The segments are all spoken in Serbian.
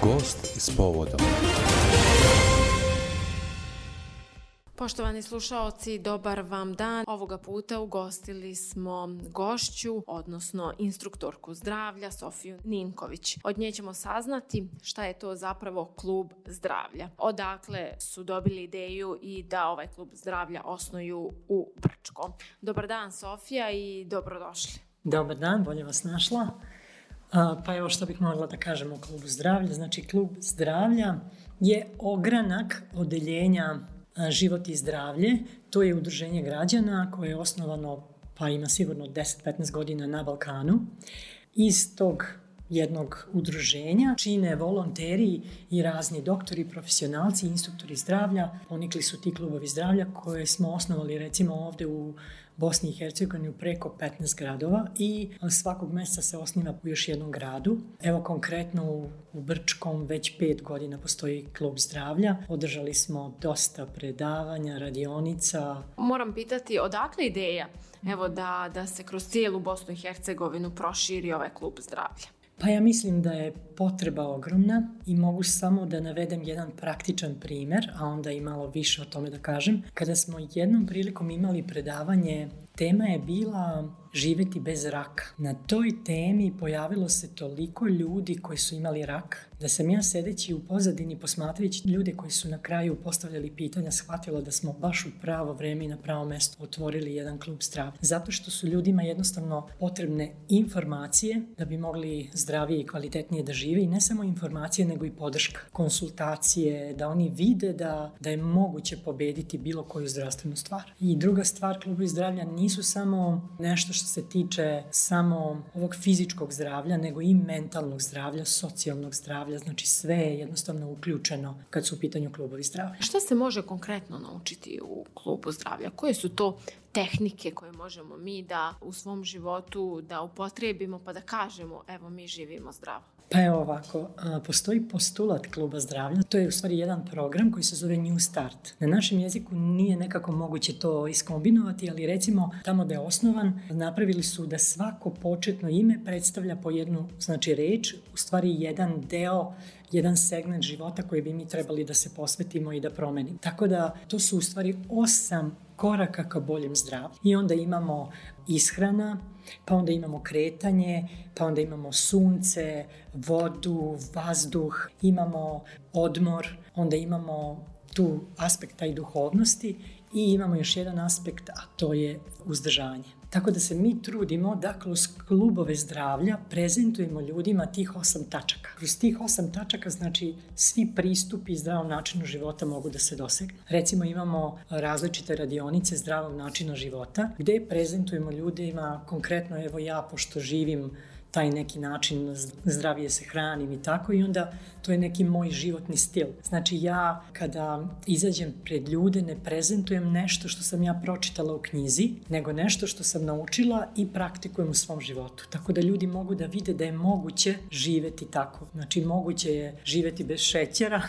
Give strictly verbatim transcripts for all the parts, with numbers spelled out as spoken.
Gost s povodom. Poštovani slušaoci, dobar vam dan. Ovoga puta ugostili smo gošću, odnosno instruktorku zdravlja, Sofiju Ninković. Od nje ćemo saznati šta je to zapravo klub zdravlja. Odakle su dobili ideju i da ovaj klub zdravlja osnuju u Brčkom. Dobar dan, Sofija, i dobrodošli. Dobar dan, bolje vas našla. Pa evo što bih mogla da kažem o klubu zdravlja. Znači, klub zdravlja je ogranak odeljenja Život i zdravlje. To je udruženje građana koje je osnovano, pa ima sigurno deset do petnaest godina na Balkanu. Iz tog jednog udruženja čine volonteri i razni doktori, profesionalci, instruktori zdravlja. Ponikli su ti klubovi zdravlja koje smo osnovali recimo ovde u Bosni i Hercegovini u preko petnaest gradova i svakog meseca se osniva u još jednom gradu. Evo konkretno u, u Brčkom već pet godina postoji klub zdravlja. Održali smo dosta predavanja, radionica. Moram pitati, odakle ideja evo da, da se kroz cijelu Bosnu i Hercegovinu proširi ovaj klub zdravlja? Pa ja mislim da je potreba ogromna i mogu samo da navedem jedan praktičan primer, a onda i malo više o tome da kažem. Kada smo jednom prilikom imali predavanje, tema je bila živjeti bez raka. Na toj temi pojavilo se toliko ljudi koji su imali rak, da sam ja sedeći u pozadini posmatrajući ljude koji su na kraju postavljali pitanja, shvatila da smo baš u pravo vreme i na pravo mesto otvorili jedan klub zdravlja. Zato što su ljudima jednostavno potrebne informacije da bi mogli zdravije i kvalitetnije da žive i ne samo informacije nego i podrška, konsultacije, da oni vide da, da je moguće pobediti bilo koju zdravstvenu stvar. I druga stvar, klubovi zdravlja nisu samo nešto što se tiče samo ovog fizičkog zdravlja, nego i mentalnog zdravlja, socijalnog zdravlja, znači sve je jednostavno uključeno kad su u pitanju klubovi zdravlja. Šta se može konkretno naučiti u klubu zdravlja? Koje su to tehnike koje možemo mi da u svom životu da upotrijebimo pa da kažemo evo mi živimo zdravo? Pa evo ovako, postoji postulat kluba zdravlja, to je u stvari jedan program koji se zove New Start. Na našem jeziku nije nekako moguće to iskombinovati, ali recimo tamo da je osnovan, napravili su da svako početno ime predstavlja po jednu, znači reč, u stvari jedan deo, jedan segment života koji bi mi trebali da se posvetimo i da promenimo. Tako da to su u stvari osam koraka ka boljem zdravlju. I onda imamo ishrana, pa onda imamo kretanje, pa onda imamo sunce, vodu, vazduh, imamo odmor, onda imamo tu aspekt taj duhovnosti i imamo još jedan aspekt, a to je uzdržanje. Tako da se mi trudimo da kroz klubove zdravlja prezentujemo ljudima tih osam tačaka. Kroz tih osam tačaka, znači, svi pristupi zdravom načinu života mogu da se dosegnu. Recimo imamo različite radionice zdravog načina života gde prezentujemo ljudima, konkretno evo ja, pošto živim taj neki način, zdravije se hranim i tako, i onda to je neki moj životni stil. Znači ja kada izađem pred ljude ne prezentujem nešto što sam ja pročitala u knjizi, nego nešto što sam naučila i praktikujem u svom životu. Tako da ljudi mogu da vide da je moguće živeti tako. Znači moguće je živeti bez šećera,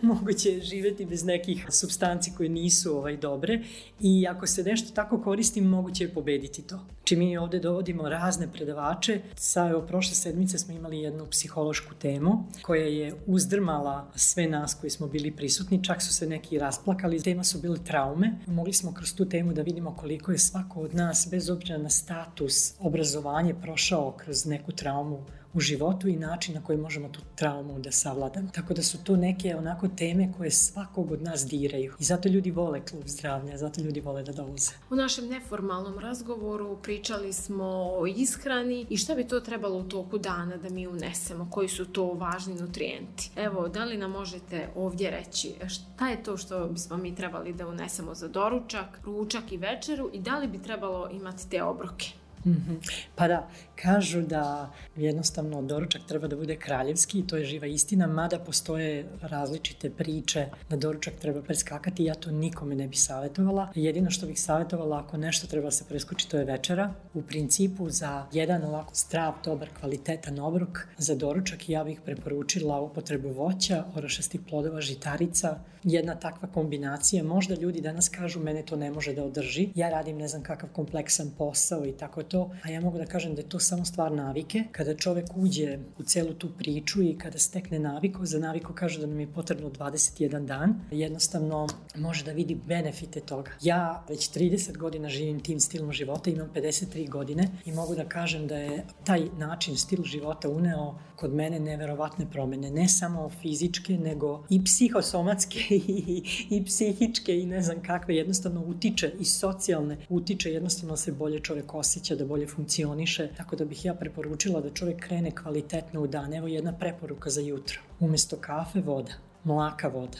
moguće je živeti bez nekih supstanci koje nisu ovaj, dobre i ako se nešto tako koristi, moguće je pobediti to. Znači mi ovde dovodimo razne predavače. Sa, evo, prošle sedmice smo imali jednu psihološku temu koja je uzdrmala sve nas koji smo bili prisutni, čak su se neki rasplakali. Tema su bile traume. Mogli smo kroz tu temu da vidimo koliko je svako od nas, bez obzira na status, obrazovanje, prošao kroz neku traumu u životu i način na koji možemo tu traumu da savladamo. Tako da su to neke onako teme koje svakog od nas diraju. I zato ljudi vole klub zdravlja, zato ljudi vole da dolaze. U našem neformalnom razgovoru pričali smo o ishrani i šta bi to trebalo u toku dana da mi unesemo, koji su to važni nutrijenti. Evo, da li nam možete ovdje reći šta je to što bismo mi trebali da unesemo za doručak, ručak i večeru i da li bi trebalo imati te obroke? Mm-hmm. Pa da, kažu da jednostavno doručak treba da bude kraljevski i to je živa istina, mada postoje različite priče da doručak treba preskakati, ja to nikome ne bi savjetovala. Jedino što bih savjetovala, ako nešto treba se preskoči, to je večera. U principu za jedan ovako zdrav, dobar, kvalitetan obrok za doručak ja bih preporučila upotrebu voća, orašastih plodova, žitarica. Jedna takva kombinacija, možda ljudi danas kažu mene to ne može da održi, ja radim ne znam kakav kompleksan posao i tako to, a ja mogu da kažem da je to samo stvar navike. Kada čovjek uđe u celu tu priču i kada stekne naviku, za naviku kažu da nam je potrebno dvadeset jedan dan, jednostavno može da vidi benefite toga. Ja već trideset godina živim tim stilom života, imam pedeset tri godine i mogu da kažem da je taj način, stil života uneo kod mene neverovatne promene, ne samo fizičke, nego i psihosomatske i, i psihičke i ne znam kakve, jednostavno utiče i socijalne, utiče, jednostavno se bolje čovjek osjeća, da bolje funkcioniše, tako da bih ja preporučila da čovjek krene kvalitetno u dan. Evo jedna preporuka za jutro. Umjesto kafe, voda, mlaka voda.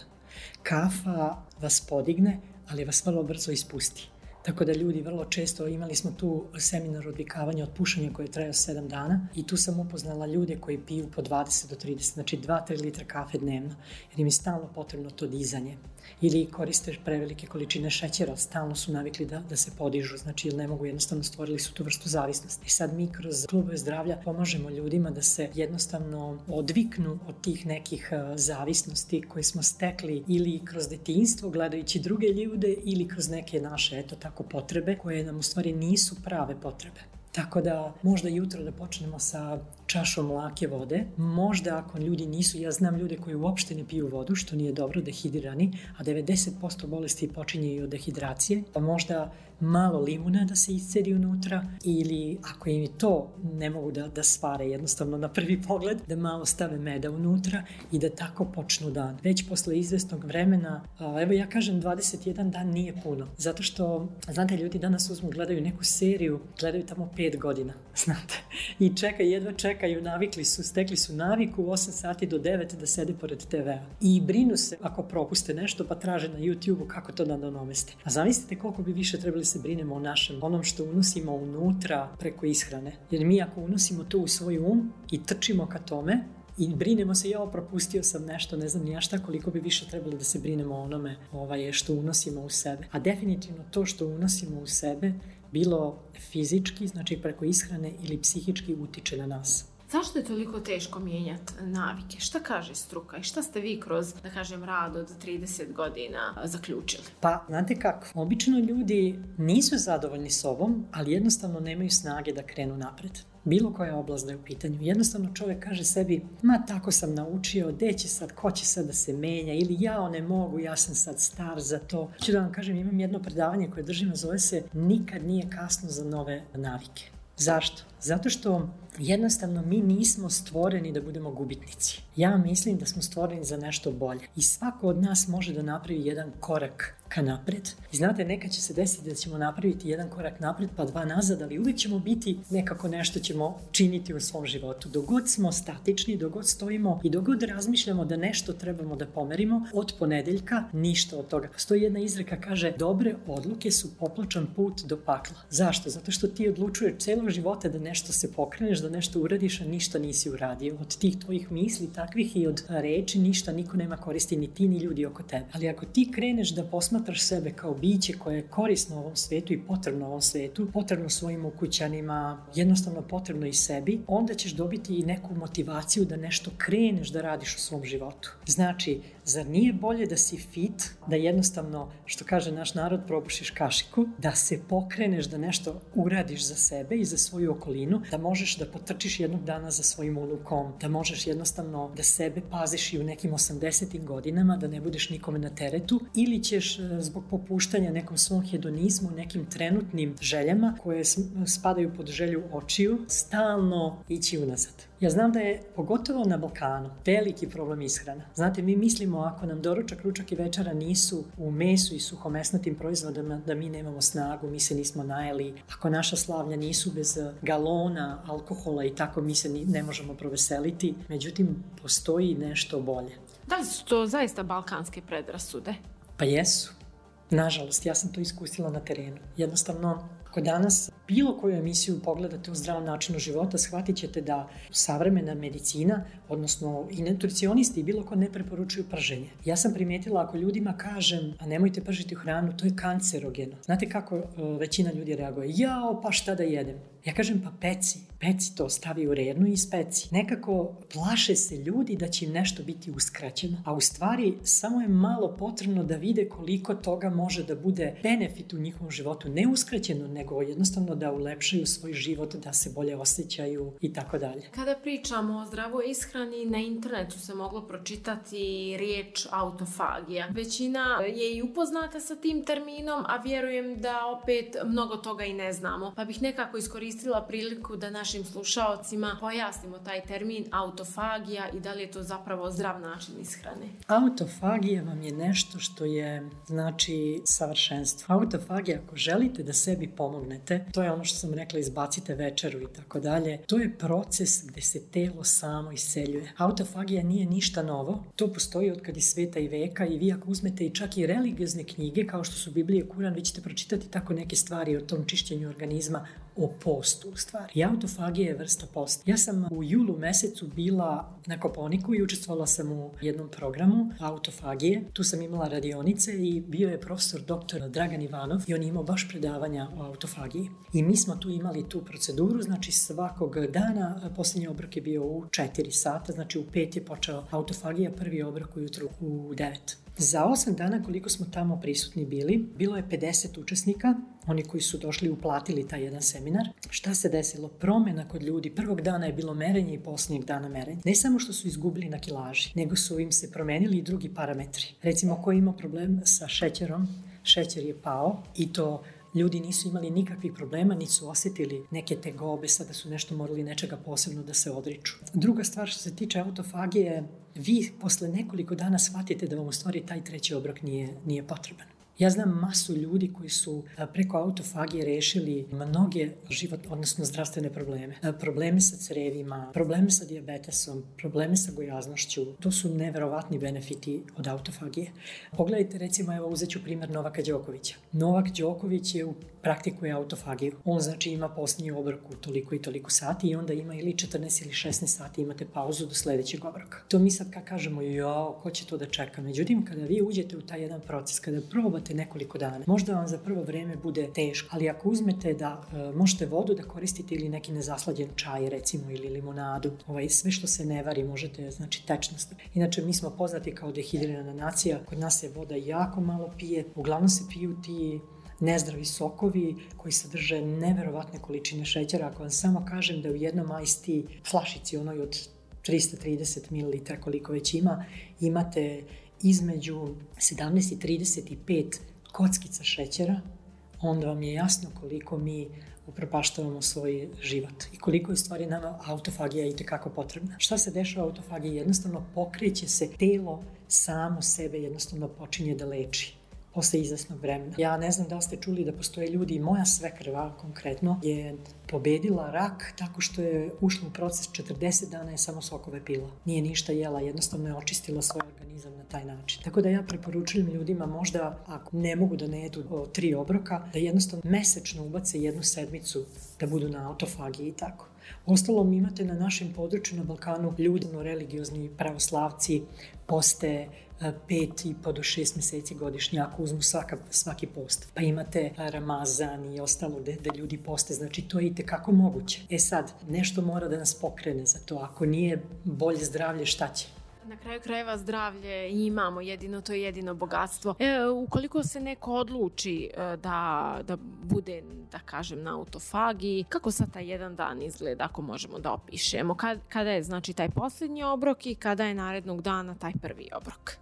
Kafa vas podigne, ali vas vrlo brzo ispusti. Tako da ljudi vrlo često, imali smo tu seminar odvikavanja od pušenja koji je trajao sedam dana i tu sam upoznala ljude koji piju po dvadeset do trideset, znači dva do tri litra kafe dnevno, jer im je stalno potrebno to dizanje. Ili koriste prevelike količine šećera, stalno su navikli da, da se podižu, znači ne mogu, jednostavno stvorili su tu vrstu zavisnosti. I sad mi kroz klubove zdravlja pomažemo ljudima da se jednostavno odviknu od tih nekih zavisnosti koje smo stekli ili kroz detinjstvo gledajući druge ljude ili kroz neke naše, eto tako, potrebe koje nam u stvari nisu prave potrebe. Tako da možda jutro da počnemo sa čašom mlake vode. Možda ako ljudi nisu, ja znam ljude koji uopšte ne piju vodu, što nije dobro, dehidrani, a devedeset posto bolesti počinje i od dehidracije, pa možda malo limuna da se iscedi unutra ili ako im to ne mogu da, da svare jednostavno na prvi pogled, da malo stave meda unutra i da tako počnu dan. Već posle izvesnog vremena, a, evo ja kažem dvadeset jedan dan nije puno, zato što, znate, ljudi danas uzmu, gledaju neku seriju, gledaju tamo pet godina, znate, i čekaju, jedva čekaju, navikli su, stekli su naviku u osam sati do devet da sede pored te vea. I brinu se ako propuste nešto pa traže na YouTube-u kako to da nadomeste. A zamislite koliko bi više trebali se brinemo o našem, onom što unosimo unutra preko ishrane. Jer mi ako unosimo to u svoj um i trčimo ka tome i brinemo se, ja propustio sam nešto, ne znam ni ja šta, koliko bi više trebali da se brinemo o onome ovaj, što unosimo u sebe. A definitivno to što unosimo u sebe, bilo fizički, znači preko ishrane ili psihički, utiče na nas. Zašto je toliko teško mijenjati navike? Šta kaže struka i šta ste vi kroz, da kažem, rad od trideset godina zaključili? Pa, znate kako, obično ljudi nisu zadovoljni sobom, ali jednostavno nemaju snage da krenu napred. Bilo koja oblast da je u pitanju. Jednostavno čovjek kaže sebi, ma tako sam naučio, gde će sad, ko će sad da se menja, ili ja ne mogu, ja sam sad star za to. Ću da vam kažem, imam jedno predavanje koje držim, zove se Nikad nije kasno za nove navike. Zašto? Zato što jednostavno mi nismo stvoreni da budemo gubitnici. Ja mislim da smo stvoreni za nešto bolje. I svako od nas može da napravi jedan korak ka napred. I znate, nekad će se desiti da ćemo napraviti jedan korak napred pa dva nazad, ali uvijek ćemo biti nekako nešto ćemo činiti u svom životu. Dogod smo statični, dogod stojimo i dogod razmišljamo da nešto trebamo da pomerimo, od ponedeljka ništa od toga. Postoji jedna izreka, kaže, dobre odluke su popločan put do pakla. Zašto? Zato što ti odlučuješ celog života da nešto se pokreneš, da nešto uradiš, a ništa nisi uradio. Od tih tvojih misli, takvih i od reči, ništa niko nema koristi, ni ti, ni ljudi oko tebe. Ali ako ti kreneš da posmatraš sebe kao biće koje je korisno ovom svetu i potrebno ovom svetu, potrebno svojim ukućanima, jednostavno potrebno i sebi, onda ćeš dobiti i neku motivaciju da nešto kreneš da radiš u svom životu. Znači, zar nije bolje da si fit, da jednostavno, što kaže naš narod, probušiš kašiku, da se pokreneš, da nešto uradiš za sebe i za svoju okolinu, da možeš da potrčiš jednog dana za svojim unukom, da možeš jednostavno da sebe paziš i u nekim osamdesetim godinama, da ne budeš nikome na teretu, ili ćeš zbog popuštanja nekom svom hedonizmu, nekim trenutnim željama koje spadaju pod želju očiju, stalno ići unazad. Ja znam da je, pogotovo na Balkanu, veliki problem ishrana. Znate, mi mislimo ako nam doručak, ručak i večera nisu u mesu i suhomesnatim proizvodima, da mi nemamo snagu, mi se nismo najeli. Ako naša slavlja nisu bez galona, alkohola i tako, mi se ne možemo proveseliti. Međutim, postoji nešto bolje. Da li su to zaista balkanske predrasude? Pa jesu. Nažalost, ja sam to iskusila na terenu. Jednostavno, ako danas bilo koju emisiju pogledate u zdravom načinu života, shvatit ćete da savremena medicina, odnosno i nutricionisti, bilo ko ne preporučuju prženje. Ja sam primijetila, ako ljudima kažem, a nemojte pržiti hranu, to je kancerogeno. Znate kako većina ljudi reaguje? Jao, pa šta da jedem? Ja kažem pa peci, peci to, stavi u rednu i ispeci. Nekako plaše se ljudi da će im nešto biti uskraćeno, a u stvari samo je malo potrebno da vide koliko toga može da bude benefit u njihovom životu, ne uskraćeno, nego jednostavno da ulepšaju svoj život, da se bolje osjećaju i tako dalje. Kada pričamo o zdravoj ishrani, na internetu se moglo pročitati riječ autofagija. Većina je i upoznata sa tim terminom, a vjerujem da opet mnogo toga i ne znamo. Pa bih nekako iskoristila priliku da našim slušaocima pojasnimo taj termin autofagija i da li je to zapravo zdrav način ishrane. Autofagija vam je nešto što je, znači, savršenstvo. Autofagija, ako želite da sebi pomognete, to je ono što sam rekla, izbacite večeru i tako dalje. To je proces gdje se telo samo iseljuje. Autofagija nije ništa novo. To postoji od kad je sveta i veka i vi ako uzmete i čak i religiozne knjige, kao što su Biblija i Kuran, vi ćete pročitati tako neke stvari o tom čišćenju organizma, o postu u stvari. I autofagija je vrsta posta. Ja sam u julu mesecu bila na Koponiku i učestvovala sam u jednom programu autofagije. Tu sam imala radionice i bio je profesor doktor Dragan Ivanov i on je imao baš predavanja o autofagiji. I mi smo tu imali tu proceduru, znači svakog dana, posljednji obrok je bio u četiri sata, znači u pet je počeo autofagija, prvi obrok ujutru u devet. Za osam dana koliko smo tamo prisutni bili, bilo je pedeset učesnika, oni koji su došli uplatili taj jedan seminar. Šta se desilo? Promjena kod ljudi. Prvog dana je bilo merenje i posljednjeg dana merenje. Ne samo što su izgubili na kilaži, nego su im se promenili i drugi parametri. Recimo, ko ima problem sa šećerom, šećer je pao i to ljudi nisu imali nikakvih problema, niti su osjetili neke tegobe, sada su nešto morali nečega posebno da se odriču. Druga stvar što se tiče autofagije, vi posle nekoliko dana shvatite da vam u stvari taj treći obrok nije, nije potreban. Ja znam masu ljudi koji su preko autofagije rešili mnoge život, odnosno zdravstvene probleme. Probleme sa crevima, probleme sa dijabetesom, probleme sa gojaznošću. To su neverovatni benefiti od autofagije. Pogledajte, recimo, evo uzet ću primjer Novaka Đokovića. Novak Đoković je u praktikuje autofagiju. On znači ima posljednji obrok u toliko i toliko sati i onda ima ili četrnaest ili šesnaest sati imate pauzu do sljedećeg obroka. To mi sad kad kažemo, jao, ko će to da čeka? Međutim, kada vi uđete u taj jedan proces, kada probate nekoliko dana, možda vam za prvo vreme bude teško, ali ako uzmete da e, možete vodu da koristite ili neki nezaslađen čaj, recimo, ili limonadu, ovaj, sve što se ne vari možete, znači tečnost. Inače, mi smo poznati kao dehidrirana nacija, kod nas se voda jako malo pije, uglavnom se piju ti nezdravi sokovi koji sadrže neverovatne količine šećera. Ako vam samo kažem da u jednom ice tea flašici, onoj od trista trideset mililitara koliko već ima, imate između sedamnaest i trideset pet kockica šećera, onda vam je jasno koliko mi upropaštavamo svoj život i koliko je stvari nama autofagija i tekako potrebna. Šta se dešava u autofagiji? Jednostavno pokreće se telo, samo sebe jednostavno počinje da leči posle izvesnog vremena. Ja ne znam da li ste čuli da postoje ljudi, i moja svekrva konkretno je pobedila rak tako što je ušla u proces četrdeset dana je samo sokove pila. Nije ništa jela, jednostavno je očistila svoj organizam na taj način. Tako da ja preporučujem ljudima možda, ako ne mogu da ne jedu o, tri obroka, da jednostavno mesečno ubace jednu sedmicu da budu na autofagiji i tako. Ostalom imate na našem području na Balkanu ljudi, religiozni pravoslavci, poste pet i po do šest mjeseci godišnje, ako uzmu svaka, svaki post. Pa imate Ramazan i ostalo gde, gde ljudi poste, znači to je i tekako moguće. E sad, nešto mora da nas pokrene za to, ako nije bolje zdravlje, šta će? Na kraju krajeva zdravlje imamo, jedino to je jedino bogatstvo. E, ukoliko se neko odluči da, da bude, da kažem, na autofagiji, kako sad taj jedan dan izgleda, ako možemo da opišemo? Kad, kada je znači taj posljednji obrok i kada je narednog dana taj prvi obrok?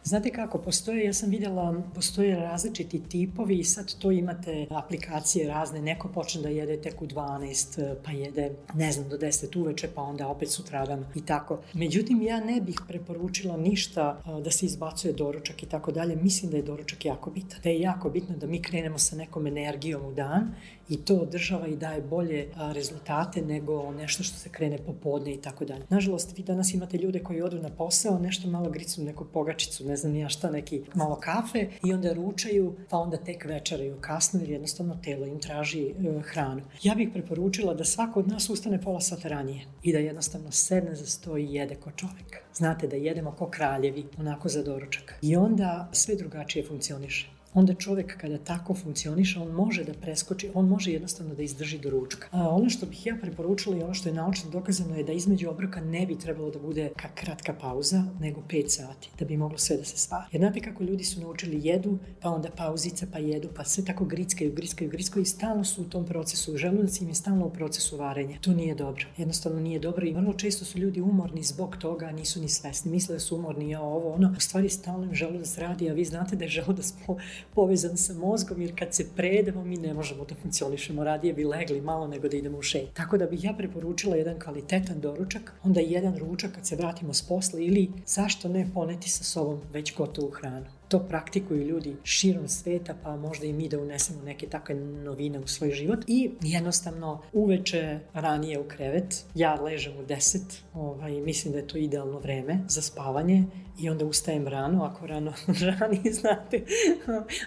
Znate kako, postoje, ja sam vidjela, postoje različiti tipovi i sad to imate aplikacije razne, neko počne da jede tek u dvanaest, pa jede, ne znam, do deset uveče, pa onda opet sutradan i tako. Međutim, ja ne bih preporučila ništa da se izbacuje doručak i tako dalje. Mislim da je doručak jako bitan. Da je jako bitno da mi krenemo sa nekom energijom u dan i to održava i daje bolje rezultate nego nešto što se krene popodne i tako dalje. Nažalost, vi danas imate ljude koji odu na posao, nešto malo gricnu neku pogačicu, ne znam ni ja šta, neki malo kafe i onda ručaju, pa onda tek večeraju kasno jer jednostavno telo im traži e, hranu. Ja bih preporučila da svako od nas ustane pola sata ranije i da jednostavno sedne za sto i jede ko čovjek. Znate, da jedemo ko kraljevi, onako za doručak. I onda sve drugačije funkcioniše. onda čovjek kada tako funkcioniše, on može da preskoči, on može jednostavno da izdrži do ručka. A ono što bih ja preporučila i ono što je naučno dokazano je da između obroka ne bi trebalo da bude kratka pauza, nego pet sati, da bi moglo sve da se svari. Jer znate kako ljudi su naučili jedu, pa onda pauzica, pa jedu, pa sve tako grickaju, grickaju, grickaju i stalno su u tom procesu, želudac im je stalno u procesu varenja. To nije dobro. Jednostavno nije dobro i vrlo često su ljudi umorni zbog toga, nisu ni svesni. Misle da su umorni, ja ovo, ono. U stvari stalno im želudac radi, a vi znate da je želudac po, povezan sa mozgom, jer kad se prejedemo, mi ne možemo da funkcionišemo. Radije bi legli malo nego da idemo u šetnju. Tako da bih ja preporučila jedan kvalitetan doručak, onda jedan ručak kad se vratimo s posla ili zašto ne poneti sa sobom već gotovu hranu. To praktikuju ljudi širom sveta, pa možda i mi da unesemo neke takve novine u svoj život. I jednostavno uveče ranije u krevet, ja ležem u deset, ovaj, mislim da je to idealno vreme za spavanje i onda ustajem rano, ako rano rani, znate,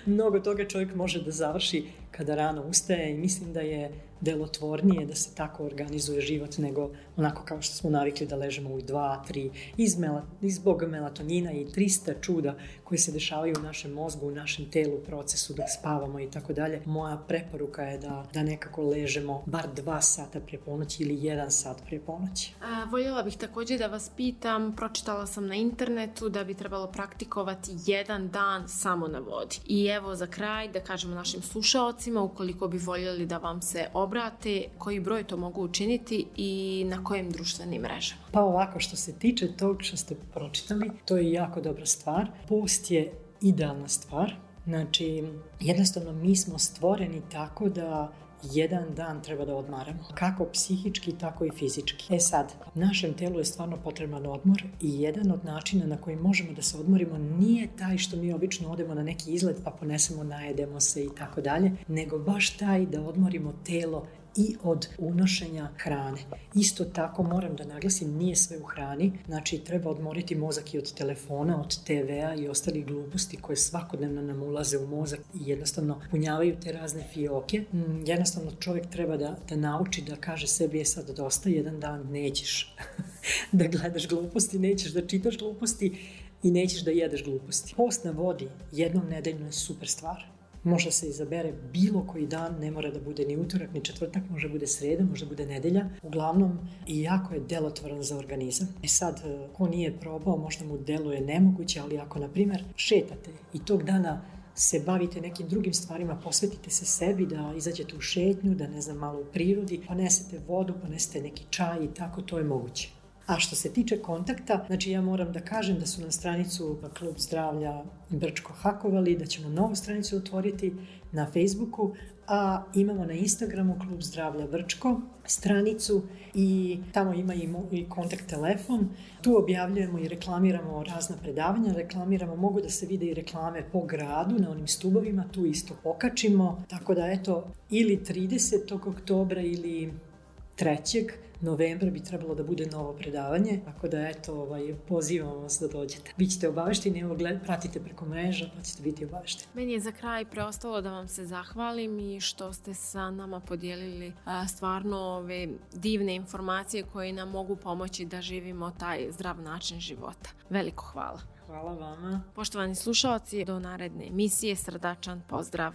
mnogo toga čovjek može da završi kada rano ustaje i mislim da je delotvornije da se tako organizuje život nego onako kao što smo navikli da ležemo u dva, tri, iz mela, zbog melatonina i trista čuda koje se dešavaju u našem mozgu, u našem telu, u procesu dok spavamo i tako dalje. Moja preporuka je da, da nekako ležemo bar dva sata prije ponoći ili jedan sat prije ponoći. A, voljela bih također da vas pitam, pročitala sam na internetu da bi trebalo praktikovati jedan dan samo na vodi. I evo za kraj da kažemo našim slušaocima, ukoliko bi voljeli da vam se obrate, koji broj to mogu učiniti i na kojim društvenim mrežama? Pa ovako, što se tiče tog što ste pročitali, to je jako dobra stvar. Post je idealna stvar. Znači, jednostavno mi smo stvoreni tako da jedan dan treba da odmaramo. Kako psihički, tako i fizički. E sad, našem telu je stvarno potreban odmor i jedan od načina na koji možemo da se odmorimo nije taj što mi obično odemo na neki izlet pa ponesemo, najedemo se i tako dalje, nego baš taj da odmorimo telo i od unošenja hrane. Isto tako moram da naglasim, nije sve u hrani, znači treba odmoriti mozak i od telefona, od te vea i ostalih gluposti koje svakodnevno nam ulaze u mozak i jednostavno punjavaju te razne fioke. Jednostavno čovjek treba da, da nauči da kaže sebi je sad dosta, jedan dan nećeš da gledaš gluposti, nećeš da čitaš gluposti i nećeš da jedeš gluposti. Post na vodi jednom nedeljno je super stvar. Može se izabere bilo koji dan, ne mora da bude ni utorak, ni četvrtak, može bude sreda, može bude nedelja. Uglavnom, i jako je delotvoran za organizam. E sad, ko nije probao, možda mu deluje nemoguće, ali ako, na primjer, šetate i tog dana se bavite nekim drugim stvarima, posvetite se sebi, da izađete u šetnju, da ne znam, malo u prirodi, ponesete vodu, ponesete neki čaj i tako, to je moguće. A što se tiče kontakta, znači ja moram da kažem da su na stranicu Klub zdravlja Brčko hakovali, da ćemo novu stranicu otvoriti na Facebooku, a imamo na Instagramu Klub zdravlja Brčko stranicu i tamo ima i, mo- i kontakt telefon. Tu objavljujemo i reklamiramo razna predavanja, reklamiramo, mogu da se vide i reklame po gradu na onim stubovima, tu isto pokačimo, tako da eto, ili tridesetog oktobra ili trećeg novembra bi trebalo da bude novo predavanje, tako da eto, ovaj, pozivamo vas da dođete. Bićete obavešteni, evo gled, pratite preko mreža pa ćete biti obavešteni. Meni je za kraj preostalo da vam se zahvalim i što ste sa nama podijelili a, stvarno ove divne informacije koje nam mogu pomoći da živimo taj zdrav način života. Veliko hvala. Hvala vama. Poštovani slušaoci, do naredne emisije srdačan pozdrav.